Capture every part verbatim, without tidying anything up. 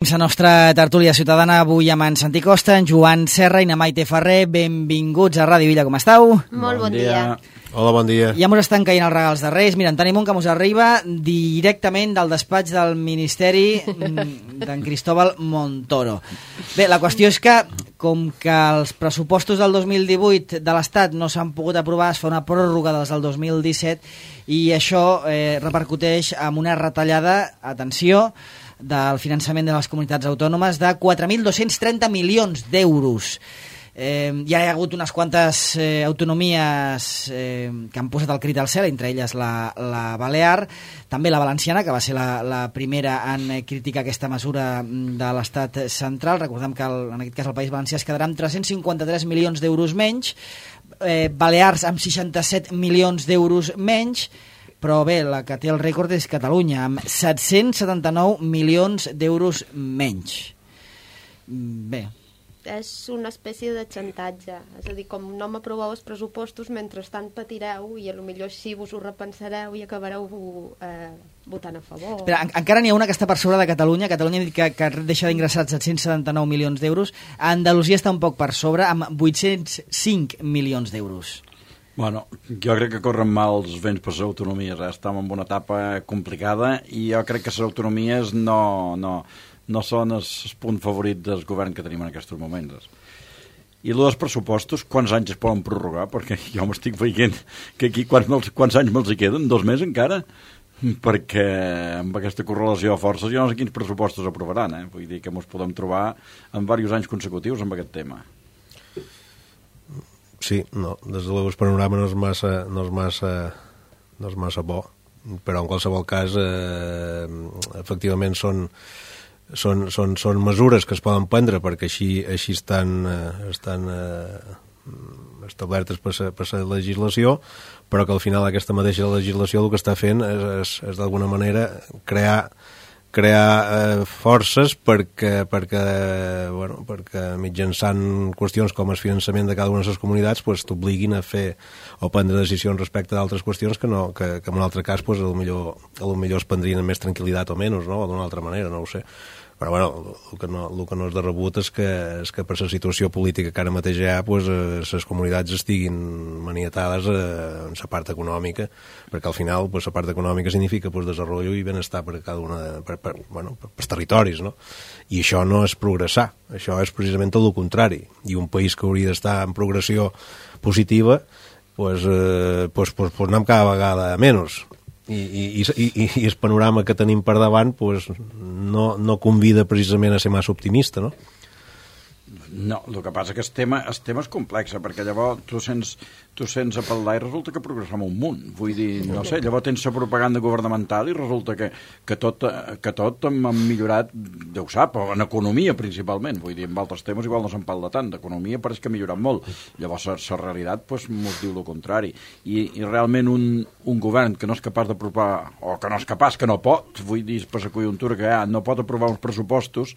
La nostra tertúlia ciutadana avui amb en Santi Costa, en Joan Serra i na Maite Ferrer. Benvinguts a Ràdio Villa, com esteu? Molt bon dia. Hola, bon dia. Ja mos estan caient els regals de Reis. Mira, en tenim un que mos arriba directament del despatx del Ministeri d'en Cristóbal Montoro. Bé, la qüestió és que, com que els pressupostos del dos mil divuit de l'Estat no s'han pogut aprovar, es fa una pròrroga dels del dos mil disset i això eh, repercuteix en una retallada, atenció, del finançament de les comunitats autònomes de quatre mil dos-cents trenta milions d'euros. Eh, ja hi ha hagut unes quantes eh, autonomies eh, que han posat el crit al cel, entre elles la, la Balear, també la valenciana, que va ser la, la primera en criticar aquesta mesura de l'Estat central. Recordem que el, en aquest cas el País Valencià es quedarà amb tres-cents cinquanta-tres milions d'euros menys, eh, Balears amb seixanta-set milions d'euros menys, però bé, la que té el rècord és Catalunya, amb set-cents setanta-nou milions d'euros menys. Bé. És una espècie de xantatge. És a dir, com no m'aproveu els pressupostos, mentrestant patireu i potser així vos ho repensareu i acabareu eh, votant a favor. Però en, encara n'hi ha una que està per sobre de Catalunya. Catalunya ha dit que, que deixa d'ingressar set-cents setanta-nou milions d'euros. Andalusia està un poc per sobre, amb vuit-cents cinc milions d'euros. Bueno, jo crec que corren mal els vents per les autonomies, eh? Estem en una etapa complicada i jo crec que les autonomies no, no, no són el punt favorit del govern que tenim en aquests moments. I el dels pressupostos, quants anys es poden prorrogar? Perquè jo m'estic veient que aquí quants, quants anys me'ls hi queden? Dos mesos encara? Perquè amb aquesta correlació de forces jo no sé quins pressupostos aprovaran, eh? Vull dir que ens podem trobar en diversos anys consecutius amb aquest tema. Sí, no, des de l'ús panorama no és massa, no és massa, no és massa bo, però en qualsevol cas eh, efectivament són, són, són, són mesures que es poden prendre perquè així, així estan, eh, estan eh, establertes per la, per la legislació, però que al final aquesta mateixa legislació el que està fent és, és, és d'alguna manera crear crear eh, forces perquè, perquè, bueno, perquè mitjançant qüestions com el finançament de cada una de les comunitats pues, t'obliguin a fer o prendre decisions respecte d'altres qüestions que, no, que, que en un altre cas pues, a lo millor, a lo millor es prendrien amb més tranquil·litat o menys, no? O d'una altra manera, no ho sé. Però bueno, el que no, el que no és de rebut és que, és que per la situació política que ara mateix hi ha, pues, eh, les comunitats estiguin maniatades eh, en la part econòmica, perquè al final pues, la part econòmica significa pues, desenvolupament i benestar per cada una de, per, per, bueno, per, per territoris, no? I això no és progressar, això és precisament tot el contrari. I un país que hauria d'estar en progressió positiva, pues, eh, pues, pues, pues anem cada vegada a menys. I, i, i, i el panorama que tenim per davant pues, no, no convida precisament a ser massa optimista, no? No, el que passa que el tema, el tema és complex, perquè llavors tu sents, tu sents a parlar i resulta que progressem un munt. Vull dir, no sé, llavors tens la propaganda governamental i resulta que, que, tot, que tot hem millorat, ja ho sap, en economia principalment. Vull dir, en altres temes igual no se'n parla tant. D'economia pareix que ha millorat molt. Llavors la realitat pues, mos diu el contrari. I, i realment un, un govern que no és capaç d'apropar, o que no és capaç, que no pot, vull dir, per la conjuntura que hi ha, no pot aprovar uns pressupostos,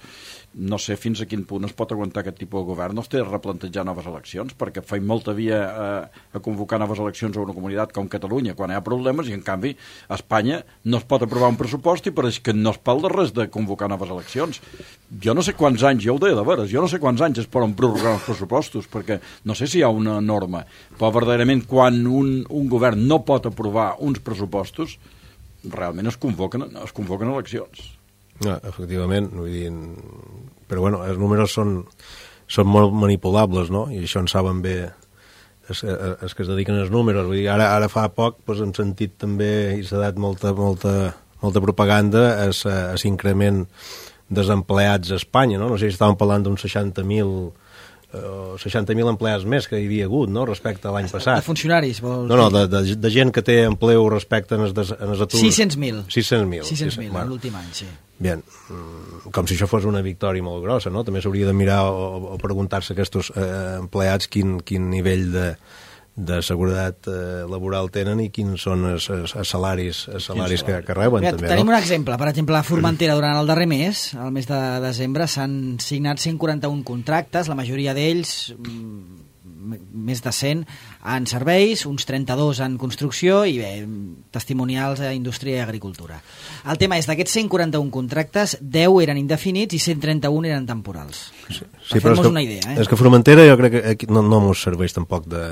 no sé fins a quin punt es pot aguantar aquest tipus de govern. No es té de replantejar noves eleccions, perquè feim molta via a, a convocar noves eleccions a una comunitat com Catalunya quan hi ha problemes, i en canvi a Espanya no es pot aprovar un pressupost i pareix que no es parla res de convocar noves eleccions. Jo no sé quants anys, ja ho deia de veres, jo no sé quants anys es poden prorrogar els pressupostos, perquè no sé si hi ha una norma, però verdaderament quan un, un govern no pot aprovar uns pressupostos, realment es convoquen, es convoquen eleccions. No, efectivament, vull dir, però bueno, els números són, són molt manipulables, no? I això en saben bé els, els que es dediquen als números. Vull dir, ara, ara fa poc doncs, hem sentit també, i s'ha dat molta, molta, molta propaganda a l'increment dels empleats a Espanya, no? No sé si estàvem parlant d'uns seixanta mil Uh, seixanta mil empleats més que hi havia hagut, no?, respecte a l'any passat. De funcionaris, vols dir? No, no, de, de, de gent que té empleu respecte en els, en els aturs. sis-cents mil. sis-cents mil. sis-cents mil, bueno, l'últim any, sí. Bien, com si això fos una victòria molt grossa, no? També s'hauria de mirar o, o preguntar-se a aquests eh, empleats quin, quin nivell de, de seguretat eh, laboral tenen i quins són els, els, els salaris, els salaris que, que reben. Mira, també, tenim no? un exemple, per exemple, a Formentera durant el darrer mes, el mes de desembre, s'han signat cent quaranta-un contractes, la majoria d'ells més de cent en serveis, uns trenta-dos en construcció i bé, testimonials a indústria i agricultura. El tema és, d'aquests cent quaranta-un contractes, deu eren indefinits i cent trenta-un eren temporals. Sí, sí, per fer-nos una idea. Eh? És que Formentera jo crec que aquí no, no mos serveix tampoc de...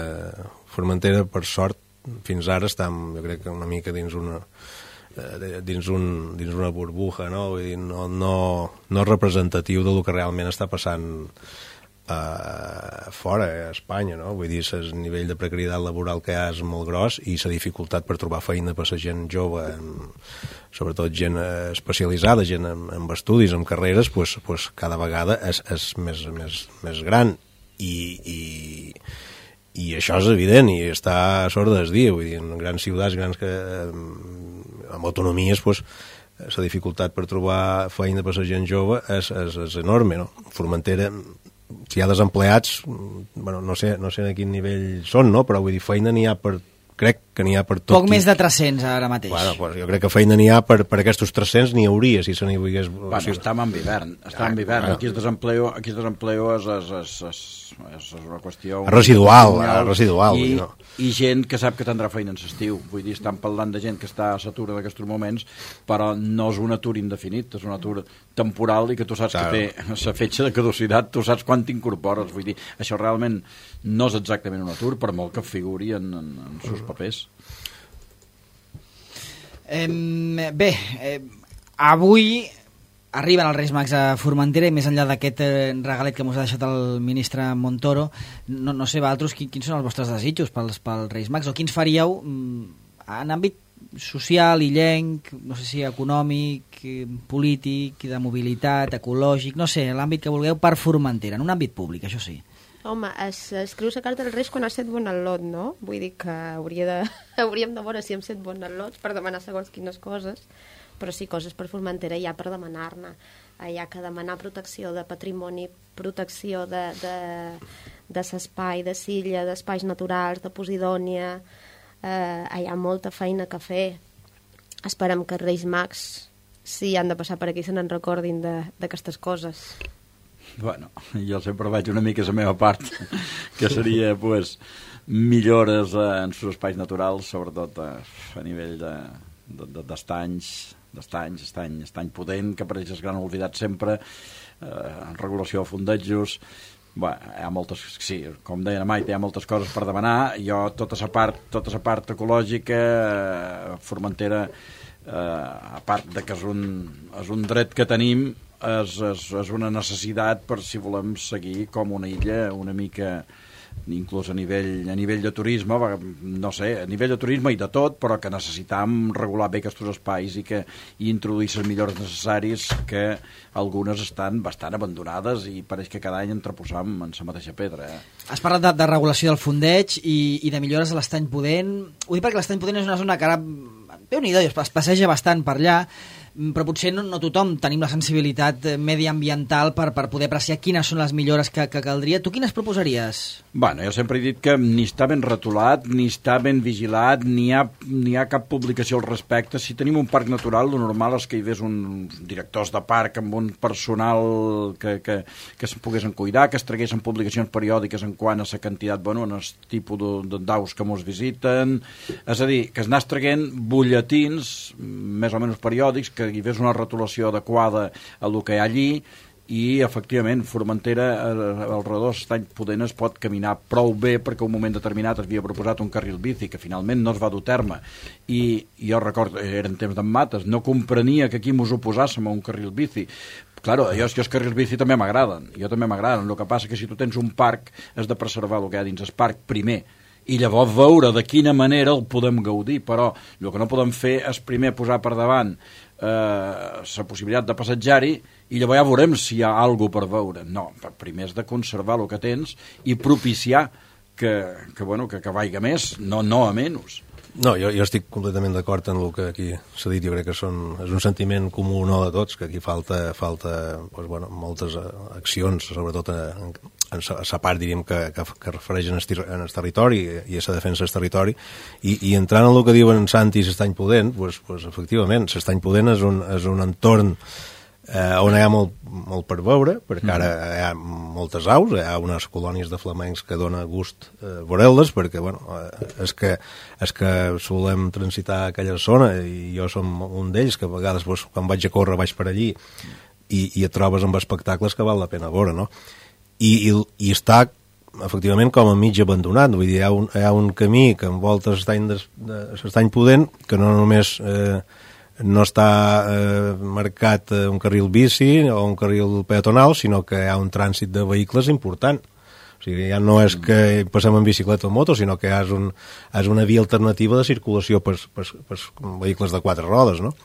Formentera, per sort, fins ara estem, jo crec que una mica dins una dins, un, dins una burbuja, no? Vull dir, no, no, no representatiu del que realment està passant uh, fora, a Espanya, no? Vull dir, el nivell de precarietat laboral que hi ha és molt gros i la dificultat per trobar feina per la gent jove, en, sobretot gent especialitzada, gent amb, amb estudis, amb carreres, pues, pues cada vegada és, és més, més, més gran i... i i això és evident i està a sorda del dia, vull dir, en grans ciutats grans que amb autonomies pues, la dificultat per trobar feina per la gent jove és, és, és enorme, no? Formentera, si hi ha desempleats, bueno, no sé, no sé a quin nivell són, no? Però vull dir, feina n'hi ha per, crec que n'hi ha per tot. Poc qui... més de tres-cents ara mateix. Bueno, pues jo crec que feina n'hi ha per, per aquests tres-cents, n'hi hauria, si se n'hi volgués... Bueno, o sigui... estàvem en hivern, estàvem en hivern. Bueno. Aquí el desempleo, aquí el desempleo és, és, és, és, és una qüestió... Residual, residual. I, no? I gent que sap que tindrà feina en l'estiu. Vull dir, estan parlant de gent que està a l'atur en aquests moments, però no és un atur indefinit, és un atur temporal i que tu saps claro. Que té la fetge de caducitat, tu saps quan t'incorpores. Vull dir, això realment no és exactament un atur, per molt que figuri en, en, en sus papers. Eh, bé, eh, avui arriben els Reis Mags a Formentera i més enllà d'aquest eh, regalet que mos ha deixat el ministre Montoro, no, no sé, vosaltres, quin, quins són els vostres desitjos pels, pels Reis Mags o quins faríeu mm, en àmbit social, illenc, no sé si econòmic, eh, polític, de mobilitat, ecològic, no sé, l'àmbit que vulgueu per Formentera, en un àmbit públic, això sí. Home, es, escrius la carta dels Reis quan has set bon al·lot, no? Vull dir que hauria de, hauríem de veure si hem set bon al·lots per demanar segons quines coses, però sí, coses per Formentera hi ha per demanar-ne. Hi ha que demanar protecció de patrimoni, protecció de, de, de l'espai, de Silla, d'espais naturals, de Posidònia. Eh, hi ha molta feina que fer. Esperem que els Reis Mags, si han de passar per aquí, se n'en recordin d'aquestes coses. Bueno, jo sempre vaig una mica a la meva part, que seria, pues, millores en els espais naturals, sobretot a, a nivell de, de, de, d'estanys, d'estanys, estany, estany pudent, que apareix el gran oblidat sempre, eh, regulació de fondejos. Bueno, hi ha moltes, sí, com deia la Maite, hi ha moltes coses per demanar. Jo, tota la part, tota la part ecològica, eh, Formentera, eh, a part de que és un, és un dret que tenim, És, és, és una necessitat per si volem seguir com una illa una mica, inclús a nivell, a nivell de turisme, no sé, a nivell de turisme i de tot, però que necessitam regular bé aquests espais i que i introduir les millores necessaris, que algunes estan bastant abandonades i pareix que cada any entreposam en la mateixa pedra. Eh? Has parlat de, de regulació del fondeig i, i de millores a l'estany pudent. Ho dic perquè l'estany pudent és una zona que ara, déu-n'hi-do, es passeja bastant per allà, però potser no, no tothom tenim la sensibilitat mediambiental per, per poder apreciar quines són les millores que, que caldria. Tu quines proposaries? Bueno, jo sempre he dit que ni està ben retolat, ni està ben vigilat, ni hi ha, ni hi ha cap publicació al respecte. Si tenim un parc natural, el normal és que hi hagués uns directors de parc amb un personal que, que, que es poguessin cuidar, que es traguessin publicacions periòdiques en quant a la quantitat, bueno, en el tipus d'aus que mos visiten. És a dir, que es anés traguent butlletins més o menys periòdics, que hi hagués una retolació adequada a el que hi ha allí, i efectivament Formentera al redor d'Estany Pudent es pot caminar prou bé, perquè un moment determinat es havia proposat un carril bici que finalment no es va dur a terme, i jo recordo, eren temps d'en Mates, no comprenia que aquí mos oposàssim a un carril bici. Claro, jo, jo els carrils bici també m'agraden, jo també m'agraden, el que passa que si tu tens un parc has de preservar el que hi ha dins el parc primer, i llavors veure de quina manera el podem gaudir, però el que no podem fer és primer posar per davant eh, la possibilitat de passejar-hi i llavors ja veurem si hi ha alguna per veure. No, primer és de conservar el que tens i propiciar que, que, bueno, que, que vaiga més, no, no a menys. No, jo, jo estic completament d'acord en el que aquí s'ha dit. Jo crec que són, és un sentiment comú no de tots, que aquí falta, falta doncs, bueno, moltes accions, sobretot en, en la part, diríem, que, que, que refereix en el, en el territori i a la defensa del territori. I, i entrant en el que diuen Santi i l'Estany Pudent, doncs, doncs, efectivament, l'Estany Pudent és un, és un entorn eh, on hi ha molt, molt per veure, perquè ara hi ha moltes aus, hi ha unes colònies de flamencs que dona gust eh, veure-les, perquè bueno, eh, és, que, és que solem transitar aquella zona i jo som un d'ells, que a vegades doncs, quan vaig a córrer vaig per allí i, i et trobes amb espectacles que val la pena veure, no? I, i, i està efectivament com a mig abandonat, vull dir, hi ha un, hi ha un camí que envolta l'estany de, de, l'estany pudent, que no només eh, no està eh, marcat un carril bici o un carril peatonal, sinó que hi ha un trànsit de vehicles important. O sigui, ja no és que passem en bicicleta o moto, sinó que és, un, és una via alternativa de circulació per, per, per vehicles de quatre rodes, no?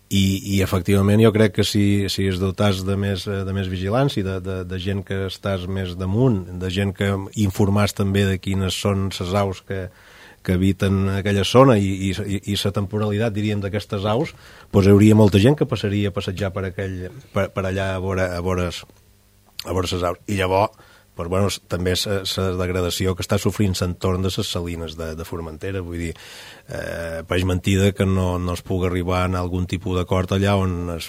I, i efectivament jo crec que si, si es dotats de més, de més vigilància, de, de, de gent que estàs més damunt, de gent que informàs també de quines són les aus que, que habiten aquella zona i, i, i la temporalitat, diríem, d'aquestes aus, doncs hi hauria molta gent que passaria a passejar per, aquell, per, per allà a veure, a veure, a veure les aus. I llavors, doncs, bueno, també la degradació que està sofrint l'entorn de les salines de, de Formentera, vull dir, eh, pareix mentida que no, no es pugui arribar a algun tipus d'acord allà on es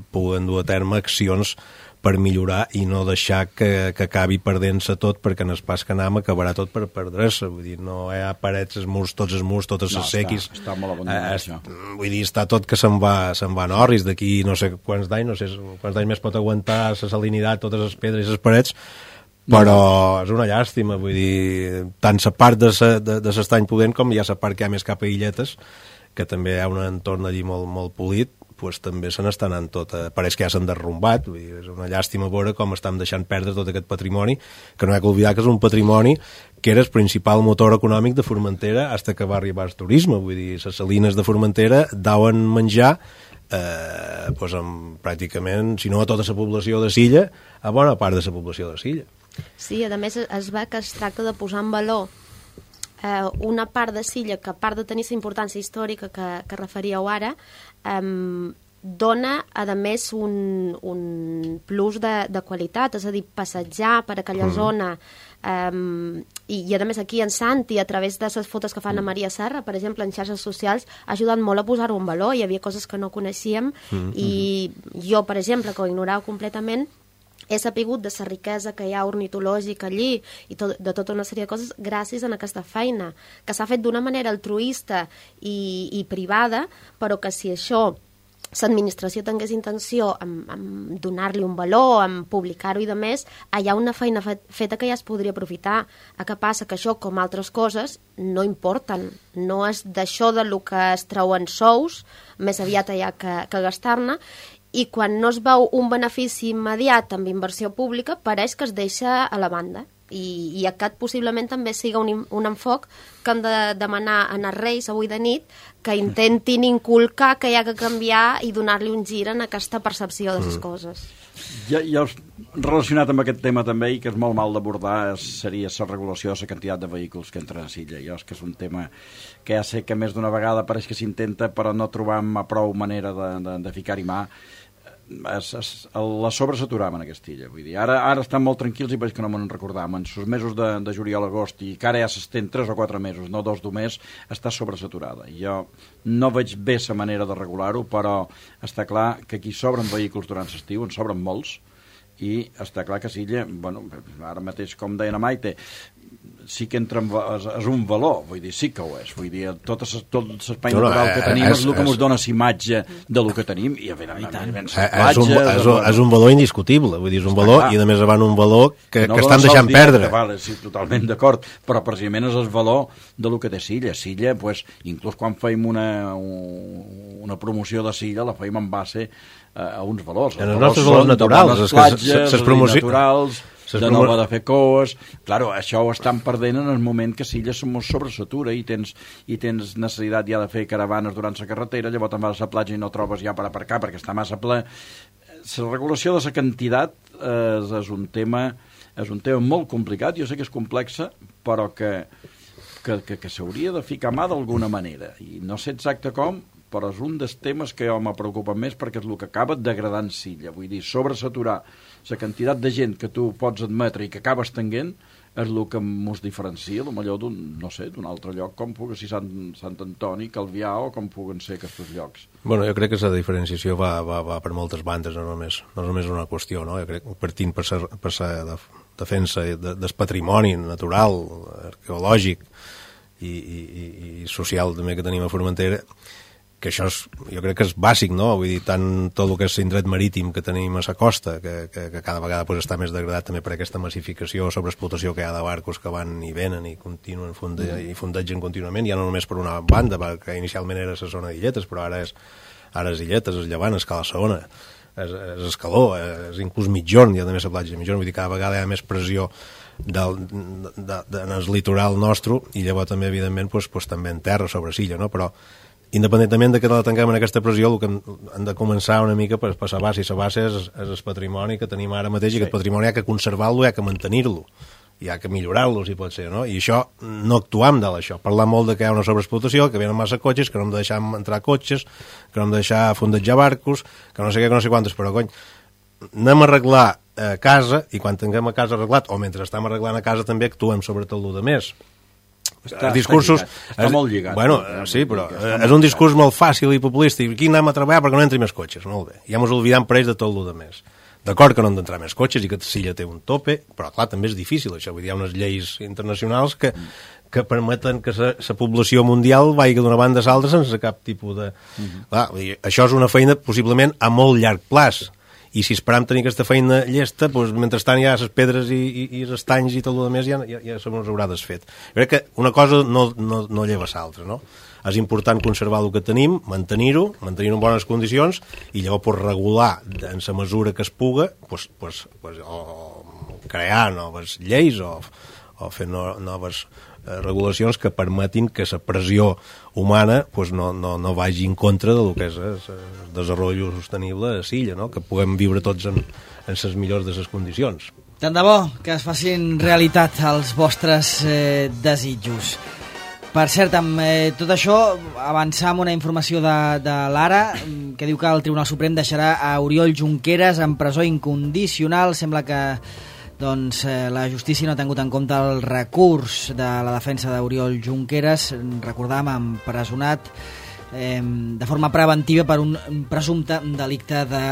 puguen dur a terme accions per millorar i no deixar que, que acabi perdent-se tot, perquè en el pas que anem acabarà tot per perdre-se, vull dir, no hi ha parets, els murs, tots els murs, totes les no, sequis. Està, està molt abandonat, eh, això. Vull dir, està tot que se'n va, se'n va en orris, d'aquí no sé quants d'anys, no sé quants d'anys més pot aguantar la salinitat, totes les pedres i les parets, però no. És una llàstima, vull dir, tant la part de l'estany pudent com hi ha la part que hi ha més cap a Illetes, que també hi ha un entorn allí molt, molt polit, pues, també se n'està anant tot, eh, pareix que ja s'han derrumbat, vull dir, és una llàstima veure com estem deixant perdre tot aquest patrimoni, que no hi ha que oblidar que és un patrimoni que era el principal motor econòmic de Formentera fins que va arribar el turisme, vull dir, les salines de Formentera dauen menjar eh, pues, amb, pràcticament, si no a tota la població de Silla, a bona part de la població de Silla. Sí, a més es ve que es tracta de posar en valor eh, una part de Silla que, a part de tenir la importància històrica que, que referíeu ara, eh, dona, a més, un, un plus de, de qualitat, és a dir, passejar per aquella mm. zona, um, i, i a més aquí en Santi, a través de les fotos que fan a Maria Serra, per exemple, en xarxes socials, ha ajudat molt a posar-ho en valor, hi havia coses que no coneixíem, mm. i jo, per exemple, que ho ignorava completament, he sapigut de la riquesa que hi ha ornitològica allí i tot, de tota una sèrie de coses gràcies a aquesta feina, que s'ha fet d'una manera altruista i, i privada, però que si això l'administració tingués intenció en, en donar-li un valor, en publicar-ho i de més, hi ha una feina fet, feta que ja es podria aprofitar. A què passa? Que això, com altres coses, no importen. No és d'això de lo que es treuen sous, més aviat hi ha que, que gastar-ne, i quan no es veu un benefici immediat amb inversió pública, pareix que es deixa a la banda. I, i aquest possiblement també siga un, un enfoc que hem de demanar a els Reis avui de nit, que intentin inculcar que hi ha que canviar i donar-li un gir en aquesta percepció de les mm. coses. Ja, ja relacionat amb aquest tema també, i que és molt mal d'abordar, seria la regulació de la quantitat de vehicles que entren a Silla. Jo és que és un tema que ja sé que més d'una vegada pareix que s'intenta, però no trobam a prou manera de, de, de ficar-hi mà. Es, es, la sobresaturaven en aquesta illa, vull dir, ara, ara estan molt tranquils i veig que no me'n recordàvem, en els mesos de, de juliol, agost, i que ara ja s'estén tres o quatre mesos, no dos d'un mes, està sobresaturada. Jo no veig bé la manera de regular-ho, però està clar que aquí sobren vehicles durant l'estiu, en sobren molts, i està clar que Silla, bueno, ara mateix, com deia la Maite, sí que entra en, és, és un valor, vull dir, sí que ho és, vull dir, tot, tot l'espai no, natural no, que tenim és, és el que ens dona imatge de lo que tenim, i a veure, i tant, és, és, un, és, un, és un valor indiscutible, vull dir, és un valor, i a més van un valor que, no que estan deixant perdre. Que, vale, sí, totalment d'acord, però precisament és el valor de lo que té Silla. Silla, pues, inclús quan feim una, una promoció de Silla, la feim en base a, a uns valors. En els nostres valors naturals, de bones platges, de naturals, de no va de fer coes. Claro, això ho estan perdent en el moment que Silla se mos sobresatura i tens, i tens necessitat ja de fer caravanes durant la carretera, llavors te'n vas a la platja i no trobes ja per aparcar perquè està massa ple. La regulació de la quantitat eh, és un tema és un tema molt complicat, jo sé que és complexa, però que, que, que, que s'hauria de ficar mà d'alguna manera, i no sé exacte com, però és un dels temes que jo me preocupa més perquè és el que acaba degradant Silla. Vull dir, sobresaturar la quantitat de gent que tu pots admetre i que acabes tenint és el que ens diferencia, potser d'un, no sé, d'un altre lloc, com pugui ser Sant, Sant Antoni, Calvià, o com puguen ser aquests llocs. Bueno, jo crec que la diferenciació va, va, va per moltes bandes, no només, no només una qüestió, no? Jo crec que partint per la per de, defensa de, del patrimoni natural, arqueològic i, i, i social també que tenim a Formentera, que això és, jo crec que és bàsic, no? Vull dir, tant tot el que és l'indret marítim que tenim a la costa, que, que, que cada vegada pues, està més degradat també per aquesta massificació o sobreexplotació que hi ha de barcos que van i venen i continuen funde, mm. i fundegen contínuament, ja no només per una banda, que inicialment era la zona d'Illetes, però ara és, ara és Illetes, és Llevant, és Cala Saona, és, és Escaló, és inclús Mitjorn, hi ha també la platja de Mitjorn, vull dir, cada vegada hi ha més pressió del, de, de, de, en el litoral nostre, i llavors també, evidentment, pues, pues, també en terra, sobre Silla, no? Però independentment de que la tanquem en aquesta pressió, el que hem de començar una mica per, per la base, i la base és, és el patrimoni que tenim ara mateix, sí. I aquest patrimoni hi ha que conservar-lo, hi ha que mantenir-lo, hi ha que millorar-lo, si pot ser, no? I això, no actuam de l'això. Parlar molt de que hi ha una sobreexplotació, que venen massa cotxes, que no hem de deixar entrar cotxes, que no hem de deixar fondejar barcos, que no sé què, que no sé quantes, però, cony, anem a arreglar eh, casa, i quan tinguem a casa arreglat, o mentre estem arreglant a casa, també actuem sobre tot el demés. Està, els discursos, està, lligat. Està és, molt lligat. Bueno, sí, però és un discurs molt fàcil i populista. I aquí anem a treballar perquè no entri més cotxes. Molt bé. Ja ens oblidem per ells de tot el de més. D'acord que no han d'entrar més cotxes i que Silla té un tope, però clar, també és difícil això. Vull dir, hi ha unes lleis internacionals que, que permeten que la població mundial vagi d'una banda a l'altra sense cap tipus de... Uh-huh. Clar, dir, això és una feina possiblement a molt llarg plaç. I si esperam tenir aquesta feina llesta, doncs, mentrestant hi ha les pedres i, i, i els estanys i tot el més, ja, ja, ja se mos haurà desfet. Jo crec que una cosa no, no, no lleva l'altra, no? És important conservar el que tenim, mantenir-ho, mantenir-ho en bones condicions, i llavors pues, regular en la mesura que es puga, pues, pues, pues, o crear noves lleis o, o fer no, noves eh, regulacions que permetin que la pressió humana pues, no, no, no vagi en contra del que és el desenvolupament sostenible a Silla, no? Que puguem viure tots en, en les millors de les condicions. Tant de bo que es facin realitat els vostres eh, desitjos. Per cert, amb eh, tot això, avançar amb una informació de, de l'Ara, que diu que el Tribunal Suprem deixarà a Oriol Junqueras en presó incondicional. Sembla que doncs, eh, la justícia no ha tingut en compte el recurs de la defensa d'Oriol Junqueras, recordàvem, empresonat eh, de forma preventiva per un presumpte delicte de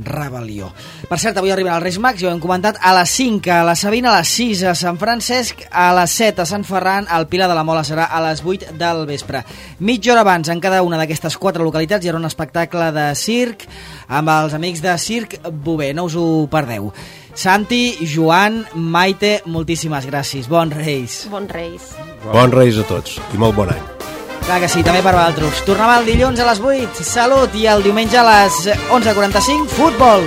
rebel·lió. Per cert, avui arriben els Reis Mags, ja ho hem comentat, a les cinc a la Sabina, a les sis a Sant Francesc, a les set a Sant Ferran, al Pilar de la Mola serà a les vuit del vespre. Mitja hora abans, en cada una d'aquestes quatre localitats, hi haurà un espectacle de circ amb els amics de Circ Bové, no us ho perdeu. Santi, Joan, Maite, moltíssimes gràcies. Bons Reis. Bons Reis. Bons Reis a tots i molt bon any. Clar que sí, també per vosaltres. Tornem el dilluns a les vuit, salut, i el diumenge a les onze quaranta-cinc, futbol.